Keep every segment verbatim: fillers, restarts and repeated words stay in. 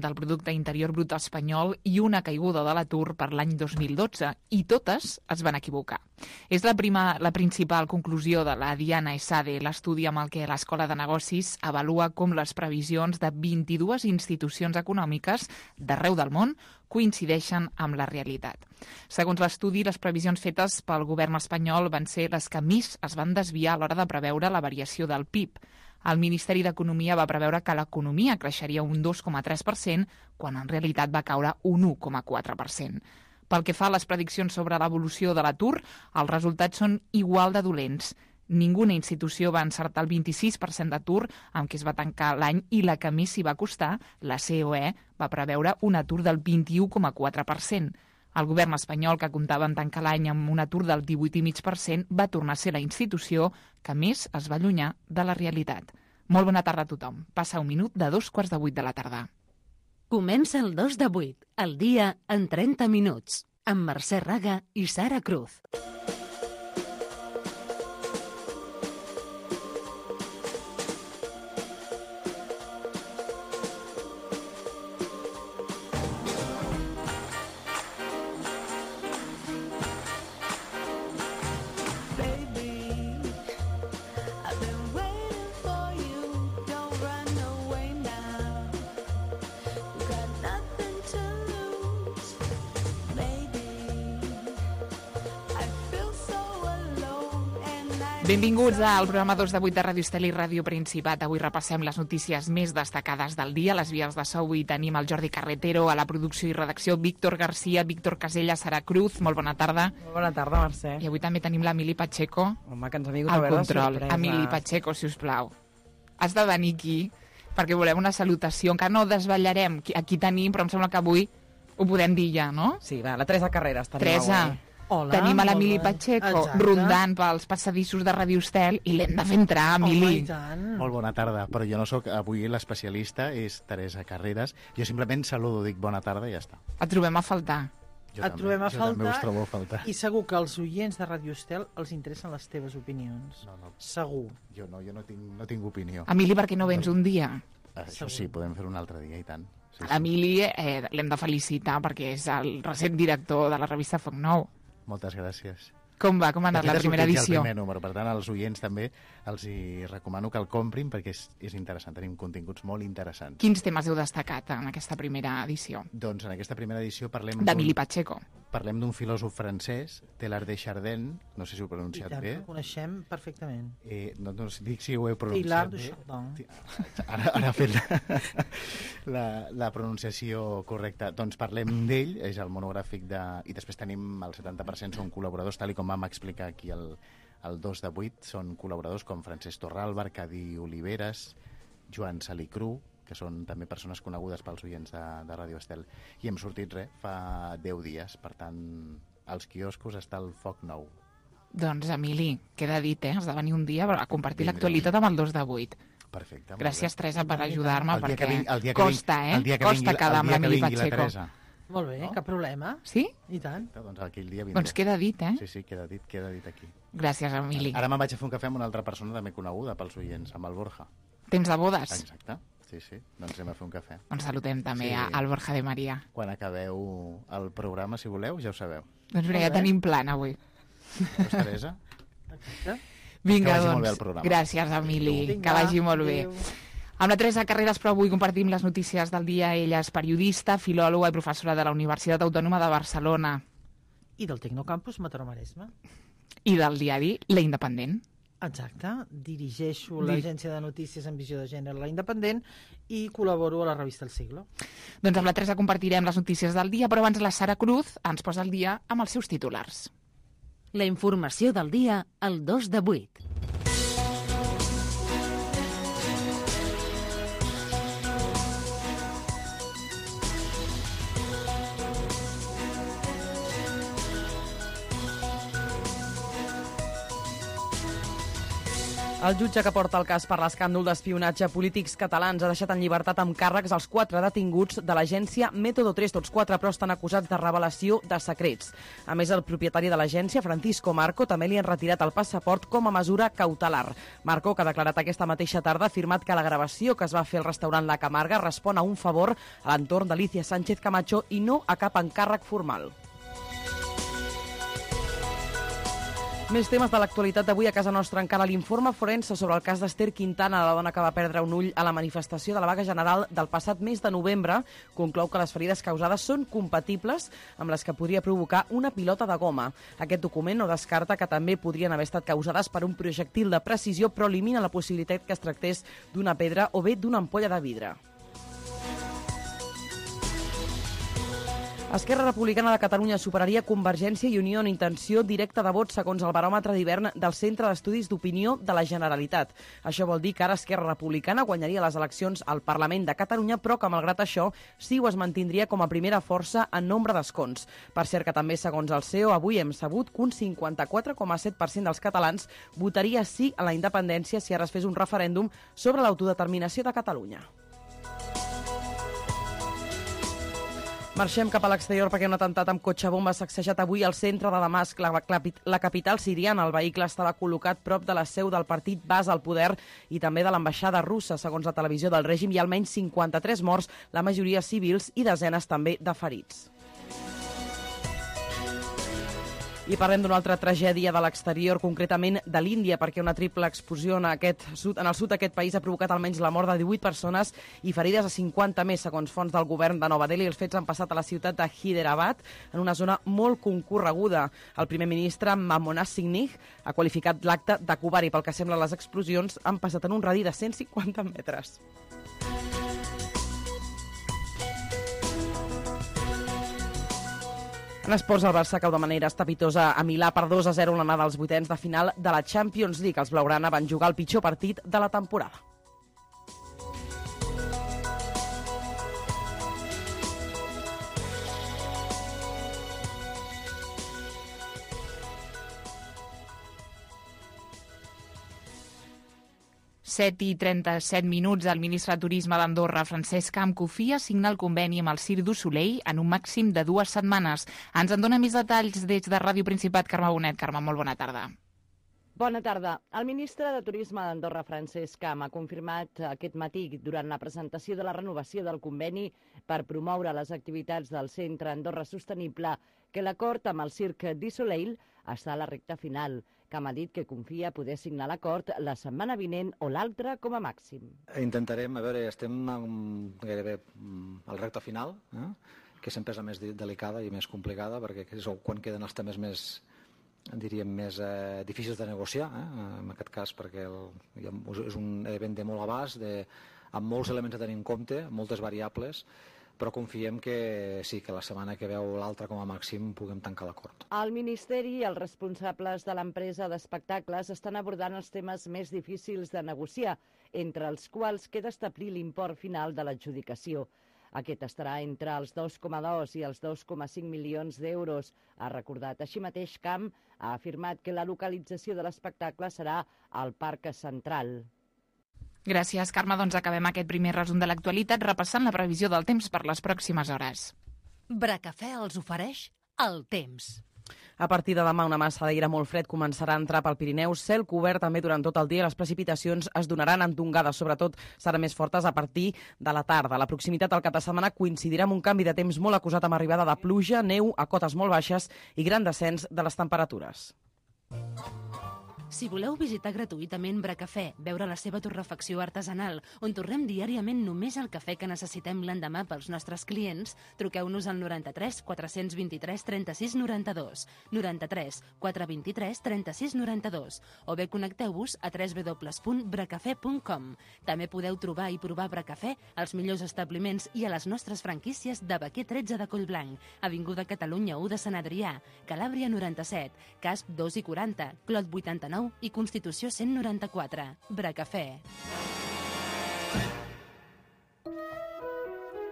del Producte Interior Brut espanyol i una caiguda de l'atur per l'any dos mil dotze, i totes es van equivocar. És la, prima, la principal conclusió de la Diana Esade, l'estudi amb el que l'Escola de Negocis avalua com les previsions de vint-i-dues institucions econòmiques d'arreu del món coincideixen amb la realitat. Segons l'estudi, les previsions fetes pel govern espanyol van ser les que més es van desviar a l'hora de preveure la variació del P I B. El Ministeri d'Economia va preveure que l'economia creixeria un dos coma tres per cent, quan en realitat va caure un u coma quatre per cent. Pel que fa a les prediccions sobre l'evolució de l'atur, els resultats són igual de dolents. Ninguna institució va encertar el vint-i-sis per cent d'atur amb què es va tancar l'any, i la que més s'hi va costar, la C O E, va preveure un atur del vint-i-u coma quatre per cent. El govern espanyol, que comptava en tancar l'any amb un atur del divuit coma cinc per cent, va tornar a ser la institució que més es va allunyar de la realitat. Molt bona tarda a tothom. Passa un minut de dos quarts de vuit de la tarda. Comença el dos de vuit, el dia en trenta minuts, amb Mercè Raga i Sara Cruz. Benvinguts al programa dos de vuit de Ràdio Estel i Ràdio Principat. Avui repassem les notícies més destacades del dia. A les vies de so avui tenim el Jordi Carretero, a la producció i redacció Víctor Garcia, Víctor Casella, Sara Cruz. Molt bona tarda. Molt bona tarda, Mercè. I avui també tenim l'Emili Pacheco. Home, que ens ha vingut al a veure control. sorpreses. Emili Pacheco, si us plau. Has de venir aquí perquè volem una salutació. Encara no desvetllarem qui- a qui tenim, però em sembla que avui ho podem dir ja, no? Sí, va, la Teresa Carreras tenim Teresa. avui. Hola, Tenim a molt l'Emili bé. Pacheco Exacte. rondant pels passadissos de Ràdio Estel i l'hem de fer entrar, Home, Emili. i tant. Molt bona tarda, però jo no sóc avui l'especialista, és Teresa Carreras. Jo simplement saludo, dic bona tarda i ja està. Et trobem a faltar. Jo Et també, trobem a jo també faltar us trobo a faltar. I segur que als oients de Ràdio Estel els interessen les teves opinions. No, no, Segur. jo no, jo no tinc, no tinc opinió. Emili, per què no vens un dia? Això sí, podem fer un altre dia i tant. Sí, sí. L'Emili eh, l'hem de felicitar perquè és el recent director de la revista Foc Nou. Moltes gràcies. Com va? Com ha anat De la fet, ha primera sortit ja edició? el primer número, per tant, als oients també els hi recomano que el comprin perquè és, és interessant, tenim continguts molt interessants. Quins temes heu destacat en aquesta primera edició? Doncs en aquesta primera edició parlem D'Emili d'un Pacheco. parlem d'un filòsof francès, Teilhard de Chardin, no sé si ho he I pronunciat tant, bé. el coneixem perfectament. Eh, no, no dic si ho he Teilhard pronunciat de bé. Chardin. Ara, ara ha fet la, la, la pronunciació correcta. Doncs parlem d'ell, és el monogràfic de... I després tenim el setanta per cent són col·laboradors, tal i com vam explicar aquí el, el dos de vuit, són col·laboradors com Francesc Torralba, Arcadi Oliveres, Joan Salicru, que són també persones conegudes pels oients de, de Ràdio Estel. I hem sortit, res, fa deu dies. Per tant, als quioscos està el Foc Nou. Doncs, Emili, queda dit, eh? Has de venir un dia a compartir Vindré. l'actualitat amb el dos de vuit. Perfecte. molt Gràcies, bé. Teresa, per ajudar-me, El dia que perquè vingui- el dia que costa, vingui- eh? el dia que Costa vingui- quedar el amb dia que l'Emili vingui la Pacheco. Teresa. Molt bé, No? cap problema. Sí? I tant. Doncs aquell dia vindré. Doncs queda dit, eh? Sí, sí, queda dit, queda dit aquí. Gràcies, Emili. Ara me'n vaig a fer un cafè amb una altra persona també coneguda pels oients, amb el Borja. Temps de bodes? Exacte, sí, sí, doncs anem a fer un cafè. Doncs saludem també Sí. a- al Borja de Maria. Quan acabeu el programa, si voleu, ja ho sabeu. Doncs mira, ja Molt bé. tenim plan avui. Veus, Teresa? Exacte. Vinga, Que vagi doncs. molt bé el programa. Gràcies, Emili. Vinga, Que vagi molt bé. adéu. Amb la Teresa Carreras, però avui compartim les notícies del dia. Ella és periodista, filòloga i professora de la Universitat Autònoma de Barcelona I del Tecnocampus Mataró-Maresme. i del diari La Independent. Exacte. Dirigeixo Di- l'agència de notícies en visió de gènere La Independent i col·laboro a la revista El Siglo. Doncs amb la Teresa compartirem les notícies del dia, però abans la Sara Cruz ens posa el dia amb els seus titulars. La informació del dia al dos de vuit. El jutge que porta el cas per l'escàndol d'espionatge a polítics catalans ha deixat en llibertat amb càrrecs els quatre detinguts de l'agència Método tres. Tots quatre, però, estan acusats de revelació de secrets. A més, el propietari de l'agència, Francisco Marco, també li han retirat el passaport com a mesura cautelar. Marco, que ha declarat aquesta mateixa tarda, ha afirmat que la gravació que es va fer al restaurant La Camarga respon a un favor a l'entorn d'Alicia Sánchez Camacho i no a cap encàrrec formal. Més temes de l'actualitat d'avui a casa nostra. Encara l'informe forense sobre el cas d'Ester Quintana, la dona que va perdre un ull a la manifestació de la vaga general del passat mes de novembre, conclou que les ferides causades són compatibles amb les que podria provocar una pilota de goma. Aquest document no descarta que també podrien haver estat causades per un projectil de precisió, però elimina la possibilitat que es tractés d'una pedra o bé d'una ampolla de vidre. Esquerra Republicana de Catalunya superaria Convergència i Unió en intenció directa de vot segons el baròmetre d'hivern del Centre d'Estudis d'Opinió de la Generalitat. Això vol dir que ara Esquerra Republicana guanyaria les eleccions al Parlament de Catalunya, però que, malgrat això, CiU es mantindria com a primera força en nombre d'escons. Per cert que també, segons el C E O, avui hem sabut que un cinquanta-quatre coma set per cent dels catalans votaria sí a la independència si ara es fes un referèndum sobre l'autodeterminació de Catalunya. Marxem cap a l'exterior perquè un atemptat amb cotxe bomba s'ha sacsejat avui al centre de Damasc, la, la, la capital siriana. El vehicle estava col·locat prop de la seu del partit Bas al poder i també de l'ambaixada russa. Segons la televisió del règim, hi ha almenys cinquanta-tres morts, la majoria civils, i desenes també de ferits. I parlem d'una altra tragèdia de l'exterior, concretament de l'Índia, perquè una triple explosió en, aquest sud, en el sud d'aquest país ha provocat almenys la mort de divuit persones i ferides a cinquanta més, segons fonts del govern de Nova Delhi. Els fets han passat a la ciutat de Hyderabad, en una zona molt concorreguda. El primer ministre, Manmohan Singh, ha qualificat l'acte de covardi. Pel que sembla, les explosions han passat en un radi de cent cinquanta metres. En esports, el Barça cau de manera estrepitosa a Milà per dos a zero en l'anada als vuitens de final de la Champions League. Els blaugrana van jugar el pitjor partit de la temporada. set i trenta-set minuts, el ministre de Turisme d'Andorra, Francesc Camp, confia signar el conveni amb el Cirque du Soleil en un màxim de dues setmanes. Ens en dona més detalls des de Ràdio Principat, Carme Bonet. Carme, molt bona tarda. Bona tarda. El ministre de Turisme d'Andorra, Francesc Camp, ha confirmat aquest matí, durant la presentació de la renovació del conveni per promoure les activitats del Centre Andorra Sostenible, que l'acord amb el Cirque du Soleil està a la recta final. Camp ha dit que confia poder signar l'acord la setmana vinent o l'altra com a màxim. Intentarem, a veure, estem gairebé al recta final, eh? que sempre és la més delicada i més complicada, perquè és quan queden els temes més, diríem, més eh, difícils de negociar, eh? en aquest cas, perquè el, és un event de molt abast, de, amb molts elements a tenir en compte, moltes variables, però confiem que sí, que la setmana que veu l'altra com a màxim puguem tancar l'acord. El Ministeri i els responsables de l'empresa d'espectacles estan abordant els temes més difícils de negociar, entre els quals queda establir l'import final de l'adjudicació. Aquest estarà entre els dos coma dos i els dos coma cinc milions d'euros, ha recordat. Així mateix, Camp ha afirmat que la localització de l'espectacle serà al Parc Central. Gràcies, Carme. Doncs acabem aquest primer resum de l'actualitat repassant la previsió del temps per les pròximes hores. Bracafè els ofereix el temps. A partir de demà, una massa d'aire molt fred començarà a entrar pel Pirineu. Cel cobert també durant tot el dia. Les precipitacions es donaran en tongades, sobretot seran més fortes a partir de la tarda. La proximitat al cap de setmana coincidirà amb un canvi de temps molt acusat amb arribada de pluja, neu a cotes molt baixes i gran descens de les temperatures. Si voleu visitar gratuïtament Bracafè, veure la seva torrefacció artesanal, on torrem diàriament només el cafè que necessitem l'endemà pels nostres clients, truqueu-nos al noranta-tres quatre-cents vint-i-tres trenta-sis noranta-dos, noranta-tres quatre vint-i-tres trenta-sis noranta-dos, o bé connecteu-vos a w w w punt bracafè punt com. També podeu trobar i provar Bracafè als millors establiments i a les nostres franquícies de Baquer tretze de Collblanc, Avinguda Catalunya u de Sant Adrià, Calàbria noranta-set, Casp dos i quaranta, Clot vuitanta-nou i Constitució cent noranta-quatre. Bracafè.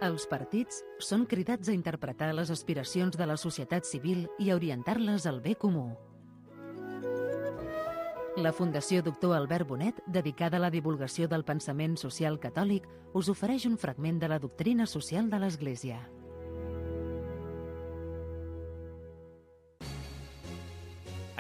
Els partits són cridats a interpretar les aspiracions de la societat civil i a orientar-les al bé comú. La Fundació Doctor Albert Bonet, dedicada a la divulgació del pensament social catòlic, us ofereix un fragment de la doctrina social de l'Església.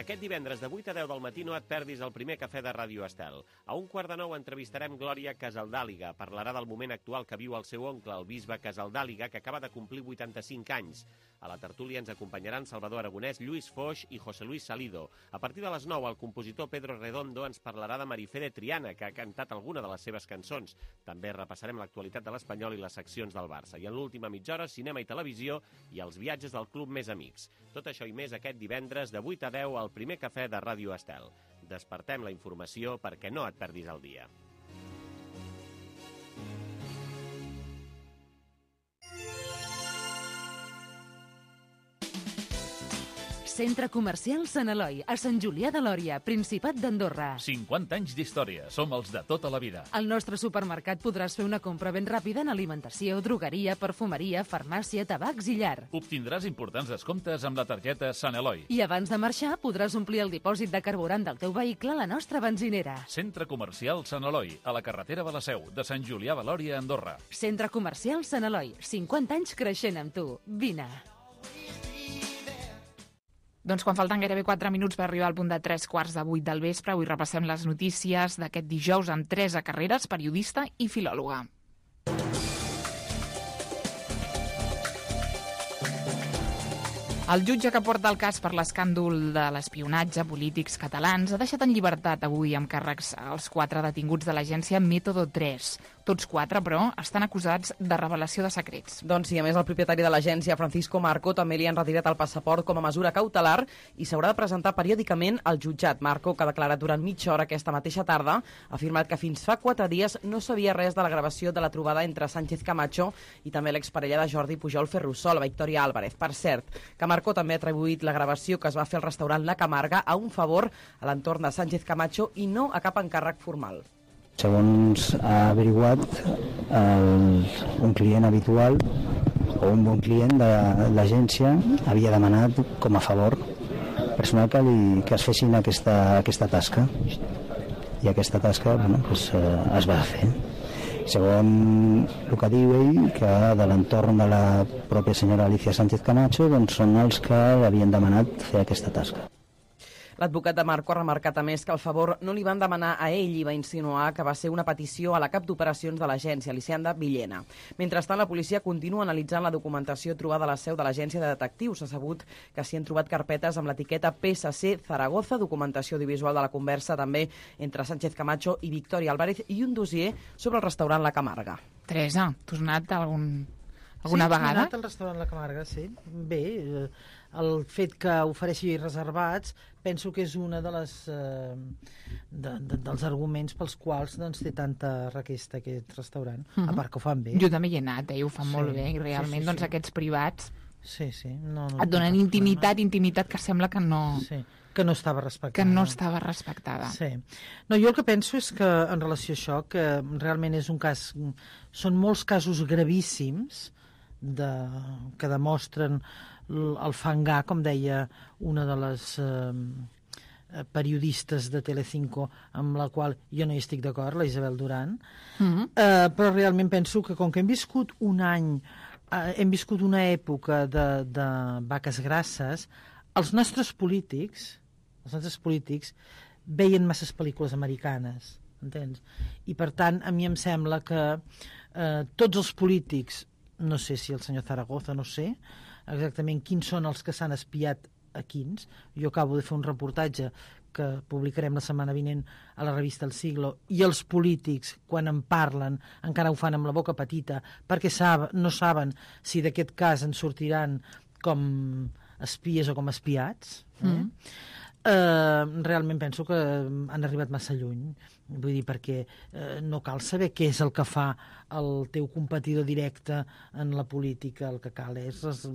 Aquest divendres de vuit a deu del matí no et perdis el primer cafè de Ràdio Estel. A un quart de nou entrevistarem Glòria Casaldàliga. Parlarà del moment actual que viu el seu oncle, el bisbe Casaldàliga, que acaba de complir vuitanta-cinc anys. A la tertúlia ens acompanyaran Salvador Aragonès, Lluís Foix i José Luis Salido. A partir de les nou, el compositor Pedro Redondo ens parlarà de Marifé de Triana, que ha cantat alguna de les seves cançons. També repassarem l'actualitat de l'Espanyol i les seccions del Barça. I en l'última mitja hora, cinema i televisió i els viatges del Club Més Amics. Tot això i més aquest divendres de vuit a deu al primer cafè de Ràdio Estel. Despertem la informació perquè no et perdis el dia. Centre Comercial Sant Eloi, a Sant Julià de Lòria, Principat d'Andorra. cinquanta anys d'història. Som els de tota la vida. Al nostre supermercat podràs fer una compra ben ràpida en alimentació, drogueria, perfumeria, farmàcia, tabacs i llar. Obtindràs importants descomptes amb la targeta Sant Eloi. I abans de marxar podràs omplir el dipòsit de carburant del teu vehicle a la nostra benzinera. Centre Comercial Sant Eloi, a la carretera de la Seu, de Sant Julià de Lòria, Andorra. Centre Comercial Sant Eloi, cinquanta anys creixent amb tu. Vine. Doncs quan falten gairebé quatre minuts per arribar al punt de tres quarts de vuit del vespre, avui repassem les notícies d'aquest dijous amb Teresa Carreras, periodista i filòloga. El jutge que porta el cas per l'escàndol de l'espionatge polítics catalans ha deixat en llibertat avui amb càrrecs als quatre detinguts de l'agència Método tres. Tots quatre, però, estan acusats de revelació de secrets. Doncs sí, a més, el propietari de l'agència, Francisco Marco, també li han retirat el passaport com a mesura cautelar i s'haurà de presentar periòdicament al jutjat. Marco, que ha declarat durant mitja hora aquesta mateixa tarda, ha afirmat que fins fa quatre dies no sabia res de la gravació de la trobada entre Sánchez Camacho i també l'exparella de Jordi Pujol Ferrusola, Victoria Álvarez. Per cert, que Marco també ha atribuït la gravació que es va fer al restaurant La Camarga a un favor a l'entorn de Sánchez Camacho i no a cap encàrrec formal. Segons ha averiguat, el, un client habitual o un bon client de l'agència havia demanat com a favor personal que, li, que es fessin aquesta, aquesta tasca. I aquesta tasca bueno, pues, eh, es va fer. Segons el que diu ell, que de l'entorn de la pròpia senyora Alicia Sánchez Camacho doncs són els que havien demanat fer aquesta tasca. L'advocat de Marco ha remarcat a més que el favor no li van demanar a ell i va insinuar que va ser una petició a la cap d'operacions de l'agència, Alicianda Villena. Mentrestant, la policia continua analitzant la documentació trobada a la seu de l'agència de detectius. S'ha sabut que s'hi han trobat carpetes amb l'etiqueta P S C Zaragoza, documentació audiovisual de la conversa també entre Sánchez Camacho i Victoria Álvarez i un dossier sobre el restaurant La Camarga. Teresa, tu has anat algun... alguna sí, vegada? Sí, he anat al restaurant La Camarga, sí. Bé, el fet que ofereixi reservats penso que és una de les eh, de, de, dels arguments pels quals doncs, té tanta requesta aquest restaurant, uh-huh. a part que ho fan bé. Jo també hi he anat, eh? Ho fan sí, molt bé i realment sí, sí, doncs, sí. Aquests privats sí, sí. No, no, et donen no intimitat, problema. intimitat que sembla que no... Sí. Que no estava respectada. Que no estava respectada. Sí. No, jo el que penso és que, en relació a això, que realment és un cas... Són molts casos gravíssims de, que demostren el fangar, com deia una de les eh, periodistes de Telecinco, amb la qual jo no hi estic d'acord, la Isabel Duran, mm-hmm. eh, però realment penso que com que hem viscut un any, eh, hem viscut una època de, de vaques grasses, els nostres polítics, els nostres polítics veien masses pel·lícules americanes, entens? I per tant, a mi em sembla que eh, tots els polítics, no sé si el senyor Zaragoza, no sé exactament quins són els que s'han espiat a quins. Jo acabo de fer un reportatge que publicarem la setmana vinent a la revista El Siglo, i els polítics, quan en parlen, encara ho fan amb la boca petita, perquè sab, no saben si d'aquest cas en sortiran com espies o com espiats. Eh? Mm. Uh, realment penso que han arribat massa lluny, vull dir, perquè uh, no cal saber què és el que fa el teu competidor directe en la política. El que cal és uh,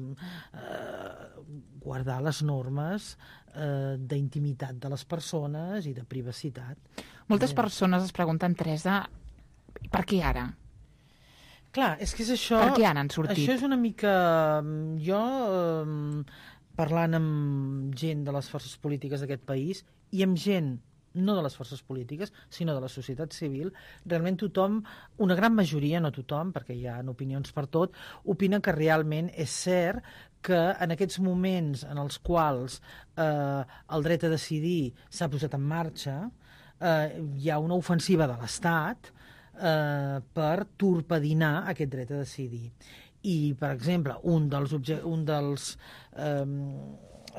guardar les normes uh, d'intimitat de les persones i de privacitat. Moltes persones es pregunten, Teresa, per què ara? Clar, és que és això... Per què ara han sortit? Això és una mica... Jo... Um, parlant amb gent de les forces polítiques d'aquest país i amb gent no de les forces polítiques, sinó de la societat civil, realment tothom, una gran majoria, no tothom, perquè hi ha opinions per tot, opina que realment és cert que en aquests moments en els quals eh, el dret a decidir s'ha posat en marxa, eh, hi ha una ofensiva de l'Estat eh, per torpedinar aquest dret a decidir. I, per exemple, un dels, un dels eh,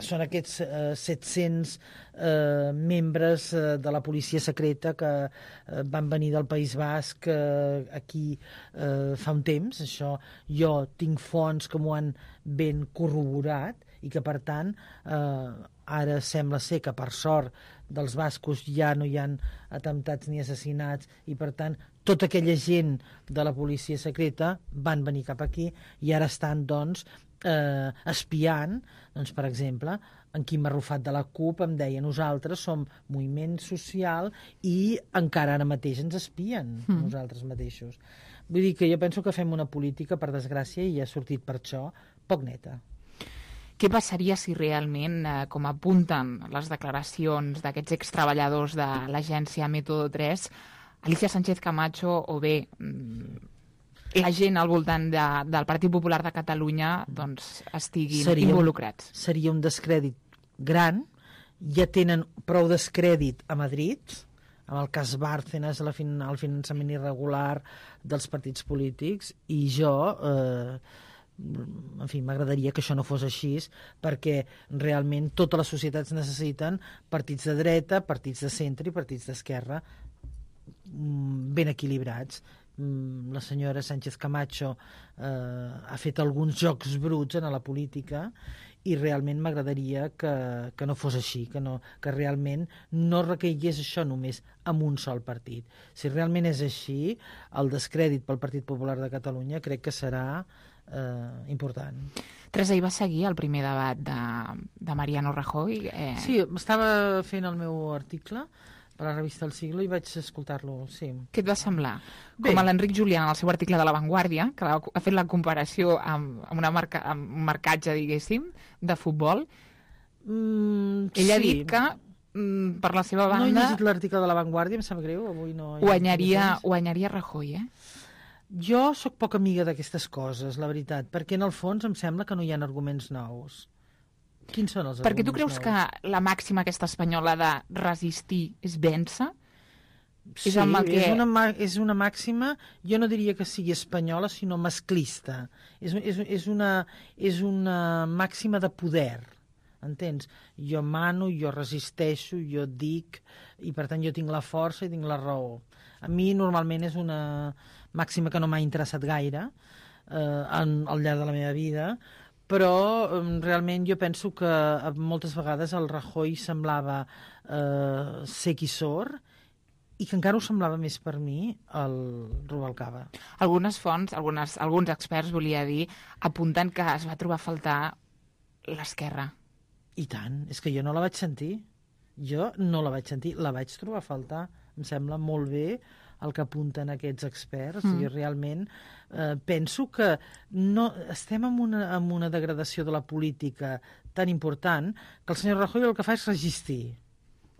són aquests eh, set-cents eh, membres eh, de la policia secreta que eh, van venir del País Basc eh, aquí eh, fa un temps. Això jo tinc fonts que m'ho han ben corroborat i que, per tant, eh, ara sembla ser que, per sort, dels bascos ja no hi ha atemptats ni assassinats i, per tant, tota aquella gent de la policia secreta van venir cap aquí i ara estan, doncs, eh, espiant, doncs, per exemple, en Quim Arrufat de la CUP em deia nosaltres som moviment social i encara ara mateix ens espien mm. nosaltres mateixos. Vull dir que jo penso que fem una política, per desgràcia, i ha sortit per això, poc neta. Què passaria si realment, eh, com apunten les declaracions d'aquests extreballadors de l'agència Método tres, Alicia Sánchez Camacho o bé la gent al voltant de, del Partit Popular de Catalunya doncs, estiguin seria, involucrats? Seria un descrèdit gran. Ja tenen prou descrèdit a Madrid, amb el cas Bárcenas, el finançament irregular dels partits polítics, i jo... Eh, en fi, m'agradaria que això no fos així, perquè realment totes les societats necessiten partits de dreta, partits de centre i partits d'esquerra ben equilibrats. La senyora Sánchez Camacho eh, ha fet alguns jocs bruts en la política i realment m'agradaria que, que no fos així, que, no, que realment no recaigués això només en un sol partit. Si realment és així, el descrèdit pel Partit Popular de Catalunya crec que serà Uh, important. Teresa, hi va seguir el primer debat de, de Mariano Rajoy? Eh... Sí, estava fent el meu article per a la revista El Siglo i vaig escoltar-lo, sí. Què et va semblar? Bé. Com a l'Enric Julià en el seu article de La Vanguardia, que ha fet la comparació amb, amb, una marca, amb un marcatge, diguéssim, de futbol, mm, ell sí. ha dit que mm, per la seva banda... No he llegit l'article de La Vanguardia, em sap greu, avui no... Guanyaria, guanyaria Rajoy, eh? Jo sóc poc amiga d'aquestes coses, la veritat, perquè en el fons em sembla que no hi ha arguments nous. Quins són els arguments nous? Perquè tu creus nous? Que la màxima aquesta espanyola de resistir és vèncer? Sí, és, que... és, una, és una màxima, jo no diria que sigui espanyola, sinó masclista. És, és, és, una, és una màxima de poder, entens? Jo mano, jo resisteixo, jo dic, i per tant jo tinc la força i tinc la raó. A mi normalment és una màxima que no m'ha interessat gaire eh, en, al llarg de la meva vida, però eh, realment jo penso que moltes vegades el Rajoy semblava eh, sec i sord i que encara ho semblava més per mi el Rubalcaba. Algunes fonts, algunes, alguns experts, volia dir, apunten que es va trobar a faltar l'esquerra. I tant, és que jo no la vaig sentir. Jo no la vaig sentir, la vaig trobar a faltar. Em sembla molt bé el que apunten aquests experts mm. i realment eh, penso que no, estem en una, en una degradació de la política tan important que el senyor Rajoy el que fa és resistir.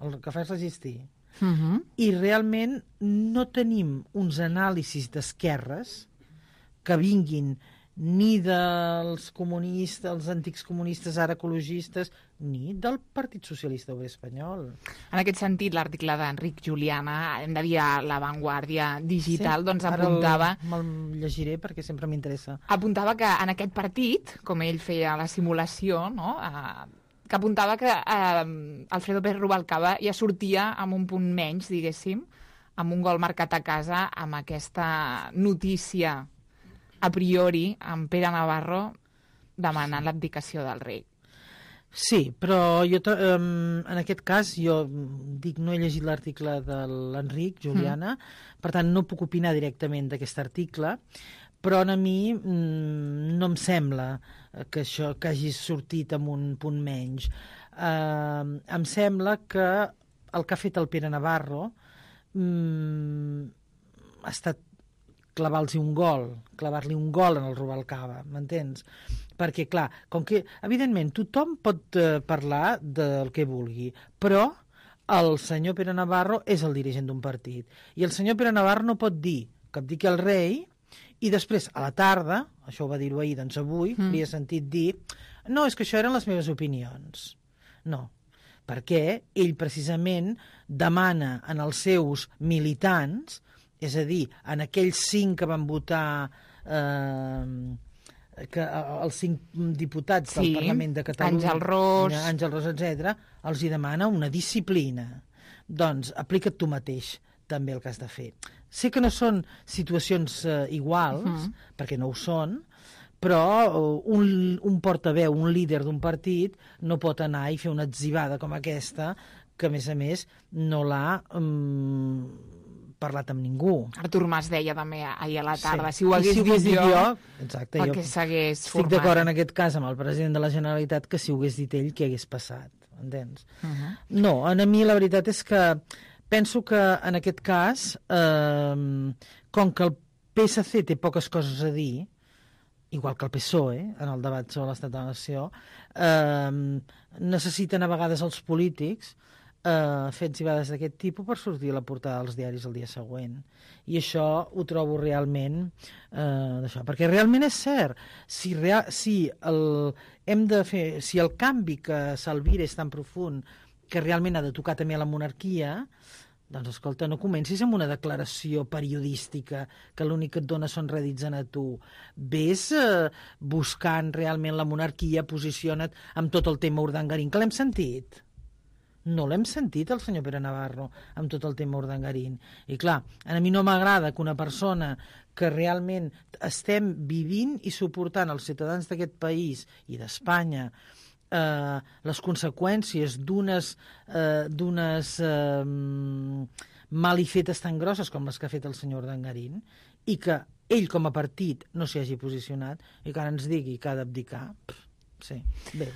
El que fa és resistir. Mm-hmm. I realment no tenim uns anàlisis d'esquerres que vinguin ni dels comunistes, els antics comunistes, ara ecologistes, ni del Partit Socialista Obrer Espanyol. En aquest sentit, l'article d'Enric Juliana, hem de dir a La Vanguardia Digital, sí, doncs apuntava... Ara me'l llegiré perquè sempre m'interessa. Apuntava que en aquest partit, com ell feia la simulació, no?, eh, que apuntava que eh, Alfredo Pérez Rubalcaba ja sortia amb un punt menys, diguéssim, amb un gol marcat a casa, amb aquesta notícia a priori, amb Pere Navarro demanant l'abdicació del rei. Sí, però jo um, en aquest cas jo dic no he llegit l'article de l'Enric Juliana, mm. per tant no puc opinar directament d'aquest article, però a mi mm, no em sembla que això que hagi sortit amb un punt menys. Uh, em sembla que el que ha fet el Pere Navarro mm, ha estat clavar-los un gol, clavar-li un gol en el Rubalcaba, m'entens? Perquè, clar, com que, evidentment, tothom pot eh, parlar del que vulgui, però el senyor Pere Navarro és el dirigent d'un partit. I el senyor Pere Navarro no pot dir que abdiqui el rei i després, a la tarda, això ho va dir-ho ahir, doncs avui, mm. li he sentit dir no, és que això eren les meves opinions. No, perquè ell precisament demana en els seus militants, és a dir, en aquells cinc que van votar... Eh, que els cinc diputats del sí, Parlament de Catalunya, Àngel Ros, Àngel Ros, etcètera, els hi demana una disciplina. Doncs aplica't tu mateix també el que has de fer. Sé que no són situacions eh, iguals, uh-huh. perquè no ho són, però un, un portaveu, un líder d'un partit, no pot anar i fer una atzivada com aquesta, que a més a més no l'ha... Um, parlat amb ningú. Artur Mas deia també ahir a la tarda, sí. si ho hagués, si ho dit, dit jo, jo exacte, perquè s'hagués format. Estic d'acord en aquest cas amb el president de la Generalitat que si ho hagués dit ell, què hagués passat? Entens? Uh-huh. No, a mi la veritat és que penso que en aquest cas, eh, com que el P S C té poques coses a dir, igual que el P S O E, en el debat sobre l'estat de la nació, eh, necessiten a vegades els polítics Uh, fets i vegades d'aquest tipus per sortir a la portada dels diaris el dia següent. I això ho trobo realment uh, d'això, perquè realment és cert, si, real, si, el, hem de fer, si el canvi que s'alvira és tan profund que realment ha de tocar també a la monarquia, doncs escolta, no comencis amb una declaració periodística que l'únic que et dona són rèdits a tu. Ves uh, buscant realment la monarquia, posiciona't amb tot el tema Urdangarín, que l'hem sentit. No l'hem sentit, el senyor Pere Navarro, amb tot el tema Urdangarín. I clar, a mi no m'agrada que una persona que realment estem vivint i suportant els ciutadans d'aquest país i d'Espanya eh, les conseqüències d'unes eh, d'unes eh, malifetes tan grosses com les que ha fet el senyor Urdangarín i que ell com a partit no s'hi hagi posicionat i que ara ens digui que ha d'abdicar. Sí, bé.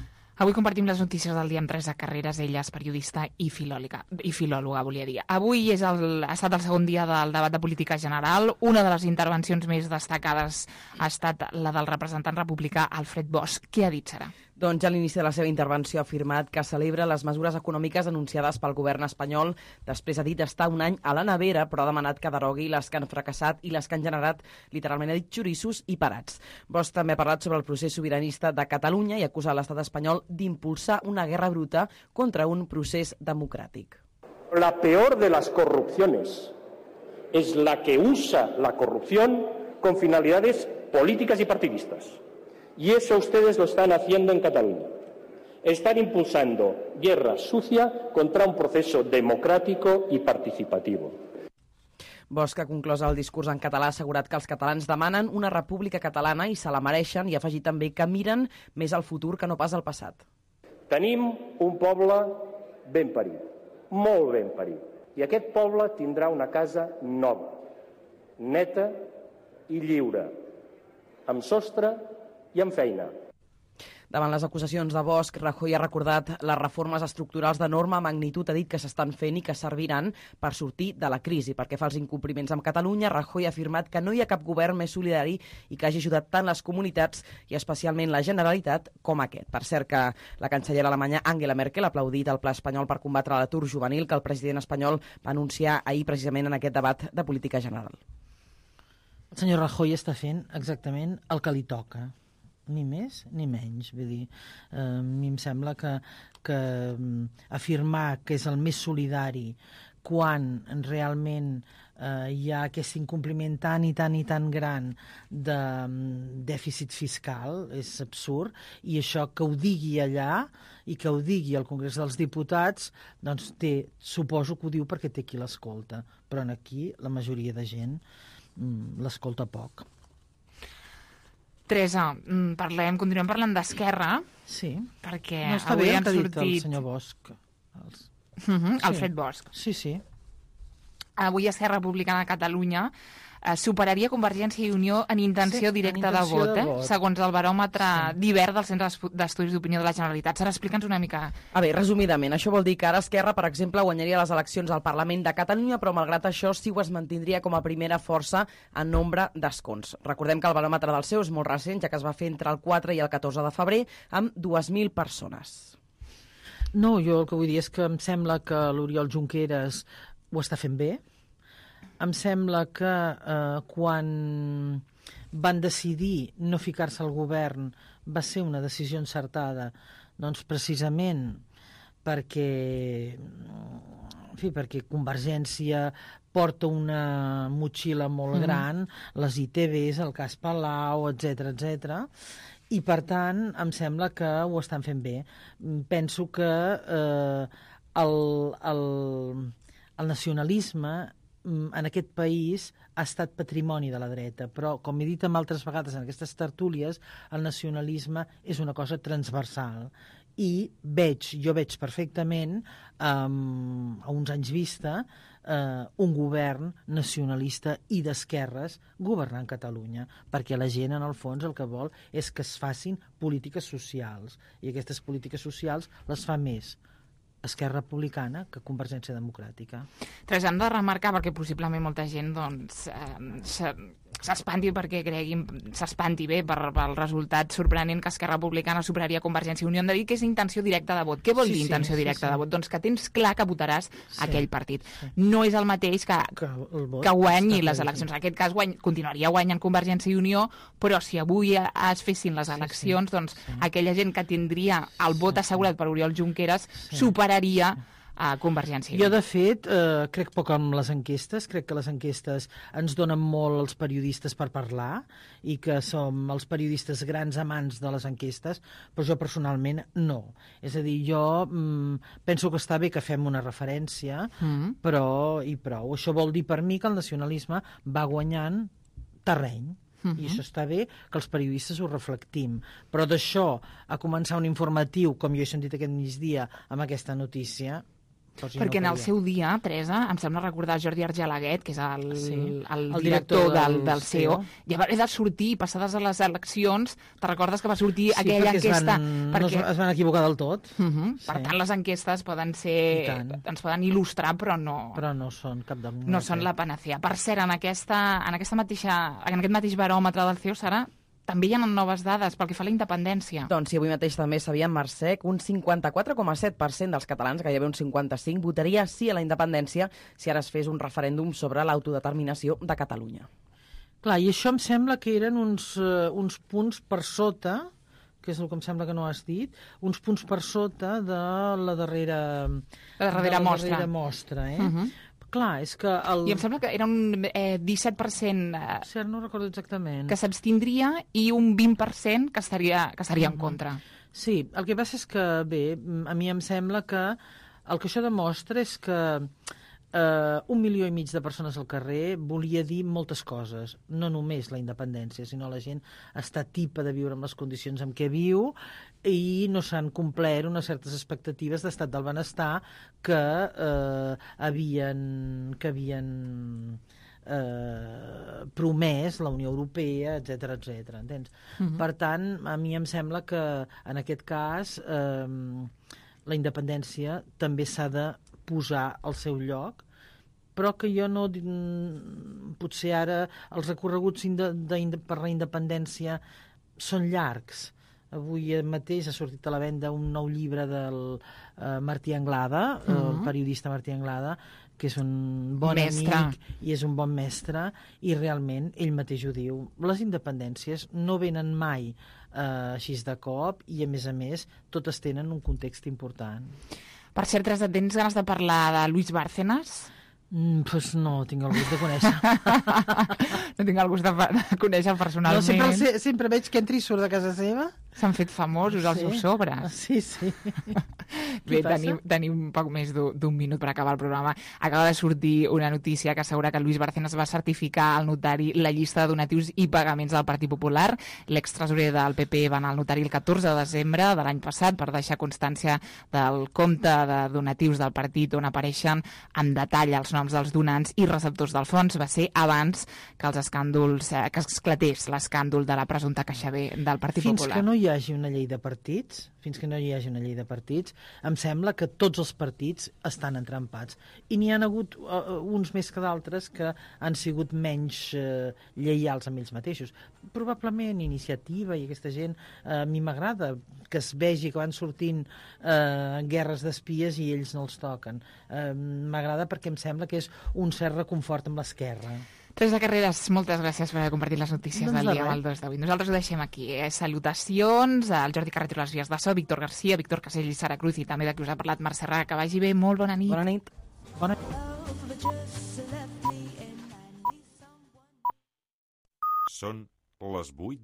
Avui compartim les notícies del dia amb Teresa Carreras, ella és periodista i filòloga, i filòloga, volia dir. Avui és el, ha estat el segon dia del debat de política general. Una de les intervencions més destacades ha estat la del representant republicà Alfred Bosch. Què ha dit, Sara? Doncs ja a l'inici de la seva intervenció ha afirmat que celebra les mesures econòmiques anunciades pel govern espanyol. Després ha dit estar un any a la nevera, però ha demanat que derogui les que han fracassat i les que han generat, literalment ha dit, xoriços i parats. Bosch també ha parlat sobre el procés sobiranista de Catalunya i acusa l'estat espanyol d'impulsar una guerra bruta contra un procés democràtic. La peor de las corrupciones es la que usa la corrupción con finalidades políticas y partidistas. Y eso ustedes lo están haciendo en Cataluña. Están impulsando guerra sucia contra un proceso democrático y participativo. Bosch ha conclòs el discurs en català, ha assegurat que els catalans demanen una república catalana i se la mereixen i ha afegit també que miren més al futur que no pas al passat. Tenim un poble ben parit, molt ben parit. I aquest poble tindrà una casa nova, neta i lliure, amb sostre i amb feina. Davant les acusacions de Bosch, Rajoy ha recordat les reformes estructurals d'enorme magnitud, ha dit que s'estan fent i que serviran per sortir de la crisi. Perquè fa els incompliments amb Catalunya, Rajoy ha afirmat que no hi ha cap govern més solidari i que hagi ajudat tant les comunitats i especialment la Generalitat com aquest. Per cert que la cancellera alemanya Angela Merkel ha aplaudit el pla espanyol per combatre l'atur juvenil que el president espanyol va anunciar ahir precisament en aquest debat de política general. El senyor Rajoy està fent exactament el que li toca. Ni més ni menys. Vull dir, eh, a mi em sembla que, que afirmar que és el més solidari quan realment eh, hi ha aquest incompliment tan i tan i tan gran de dèficit fiscal és absurd, i això que ho digui allà i que ho digui al Congrés dels Diputats, doncs té, suposo que ho diu perquè té qui l'escolta, però aquí la majoria de gent mm, l'escolta poc. Teresa, parlem, continuem parlant d'Esquerra. Sí. Perquè no està avui bé han que ha dit sortit... el senyor Bosch. Els... Uh-huh, sí. Alfred Bosch. Sí, sí. Avui Esquerra Republicana de Catalunya eh, superaria Convergència i Unió en intenció sí, directa en intenció de, vot, de vot, eh? Segons el baròmetre sí. d'hivern del Centre d'Estudis d'Opinió de la Generalitat. Sara, explica'ns una mica. A veure, resumidament, això vol dir que ara Esquerra, per exemple, guanyaria les eleccions al Parlament de Catalunya, però malgrat això sí ho es mantindria com a primera força en nombre d'escons. Recordem que el baròmetre del seu és molt recent, ja que es va fer entre el quatre i el catorze de febrer, amb dues mil persones. No, jo el que vull dir és que em sembla que l'Oriol Junqueras ho està fent bé. Em sembla que eh, quan van decidir no ficar-se al govern va ser una decisió encertada, doncs precisament perquè, en fi, perquè Convergència porta una motxilla molt mm-hmm. gran, les I T Vs, el cas Palau, etcètera, etcètera, i per tant em sembla que ho estan fent bé. Penso que eh, el, el, el nacionalisme en aquest país ha estat patrimoni de la dreta, però, com he dit amb altres vegades en aquestes tertúlies, el nacionalisme és una cosa transversal i veig, jo veig perfectament um, a uns anys vista uh, un govern nacionalista i d'esquerres governant Catalunya, perquè la gent en el fons el que vol és que es facin polítiques socials, i aquestes polítiques socials les fa més Esquerra Republicana que Convergència Democràtica. Tres, hem de remarcar, perquè possiblement molta gent doncs, eh, s'espanti perquè creguin, s'espanti bé per, pel resultat sorprenent que Esquerra Republicana superaria Convergència i Unió. Hem de dir que és intenció directa de vot. Què vol sí, dir intenció sí, directa sí, sí. de vot? Doncs que tens clar que votaràs sí, aquell partit. Sí. No és el mateix que, que, el vot que guanyi les clar, eleccions. sí. En aquest cas guany, continuaria guanyant Convergència i Unió, però si avui es fessin les eleccions, sí, sí. doncs sí. aquella gent que tindria el vot sí, assegurat per Oriol Junqueras sí. superaria sí. a Convergència. Jo, de fet, eh, crec poc amb les enquestes. Crec que les enquestes ens donen molt als periodistes per parlar i que som els periodistes grans amants de les enquestes, però jo personalment no. És a dir, jo mm, penso que està bé que fem una referència, mm. però i prou. Això vol dir per mi que el nacionalisme va guanyant terreny. Uh-huh. I això està bé que els periodistes ho reflectim. Però d'això a començar un informatiu, com jo he sentit aquest migdia amb aquesta notícia... Perquè no en el seu dia, Teresa, em sembla recordar Jordi Argelaguet, que és el, sí. el, el, el director, director del, del, del C E O, ja va haver de sortir, passades a les eleccions, te recordes que va sortir sí, aquella enquesta... Van, perquè no es van equivocar del tot. Uh-huh. Sí. Per tant, les enquestes poden ser... ens poden il·lustrar, però no... Però no són cap de... No són la panacea. Per cert, en, aquesta, en, aquesta mateixa, en aquest mateix baròmetre del C E O, Sara, també hi ha noves dades pel que fa a la independència. Doncs sí, avui mateix també sabíem, Mercè, que un cinquanta-quatre coma set per cent dels catalans, gairebé un cinquanta-cinc, votaria sí a la independència si ara es fes un referèndum sobre l'autodeterminació de Catalunya. Clar, i això em sembla que eren uns, uh, uns punts per sota, que és el que em sembla que no has dit, uns punts per sota de la darrera, la darrera de la mostra. Darrera mostra eh? Uh-huh. Clar, és que... El... I em sembla que era un eh, disset per cent eh, cert, no recordo exactament. Que s'abstindria i un vint per cent que estaria, que estaria uh-huh. en contra. Sí, el que passa és que, bé, a mi em sembla que el que això demostra és que Uh, un milió i mig de persones al carrer volia dir moltes coses, no només la independència, sinó la gent està tipa de viure en les condicions en què viu i no s'han complert unes certes expectatives d'estat del benestar que uh, havien que havien uh, promès la Unió Europea, etcètera, etcètera. Entens? Uh-huh. Per tant, a mi em sembla que en aquest cas uh, la independència també s'ha de posar al seu lloc, però que jo no... Potser ara els recorreguts de, de, de, per la independència són llargs. Avui mateix ha sortit a la venda un nou llibre del uh, Martí Anglada, uh-huh. el periodista Martí Anglada, que és un bon mestre. amic i és un bon mestre, i realment ell mateix ho diu. Les independències no venen mai uh, així de cop i, a més a més, totes tenen un context important. Per cert, Teresa, tens ganes de parlar de Luis Bárcenas? Mm, pues no, tinc el gust de conèixer. No tinc el gust de, de conèixer personalment. No, sempre, el, sempre veig que entra i surt de casa seva. S'han fet famosos els sí. seus sobres. Sí, sí. Bé, tenim, tenim poc més d'un minut per acabar el programa. Acaba de sortir una notícia que assegura que Luis Bárcenas va certificar al notari la llista de donatius i pagaments del Partit Popular. L'extresorer del P P va anar al notari el catorze de desembre de l'any passat per deixar constància del compte de donatius del partit on apareixen en detall els noms dels donants i receptors del fons. Va ser abans que els escàndols, eh, que esclatés l'escàndol de la presumpta caixa B del Partit Fins Popular. Fins que no hi hi hagi una llei de partits, fins que no hi hagi una llei de partits, em sembla que tots els partits estan entrampats. I n'hi ha hagut uh, uns més que d'altres que han sigut menys uh, lleials amb ells mateixos. Probablement Iniciativa i aquesta gent, uh, a mi m'agrada que es vegi que van sortint uh, guerres d'espies i ells no els toquen. Uh, m'agrada perquè em sembla que és un cert reconfort amb l'esquerra. Teresa Carreras, moltes gràcies per haver compartit les notícies doncs del dia amb el dos d'avui. Nosaltres ho deixem aquí. Eh? Salutacions al Jordi Carreto a les vies de so, Víctor Garcia, Víctor Casell i Sara Cruz, i també de qui us ha parlat Mercè Raga. Que vagi bé, molt bona nit. Bona nit. Bona nit. Són les vuit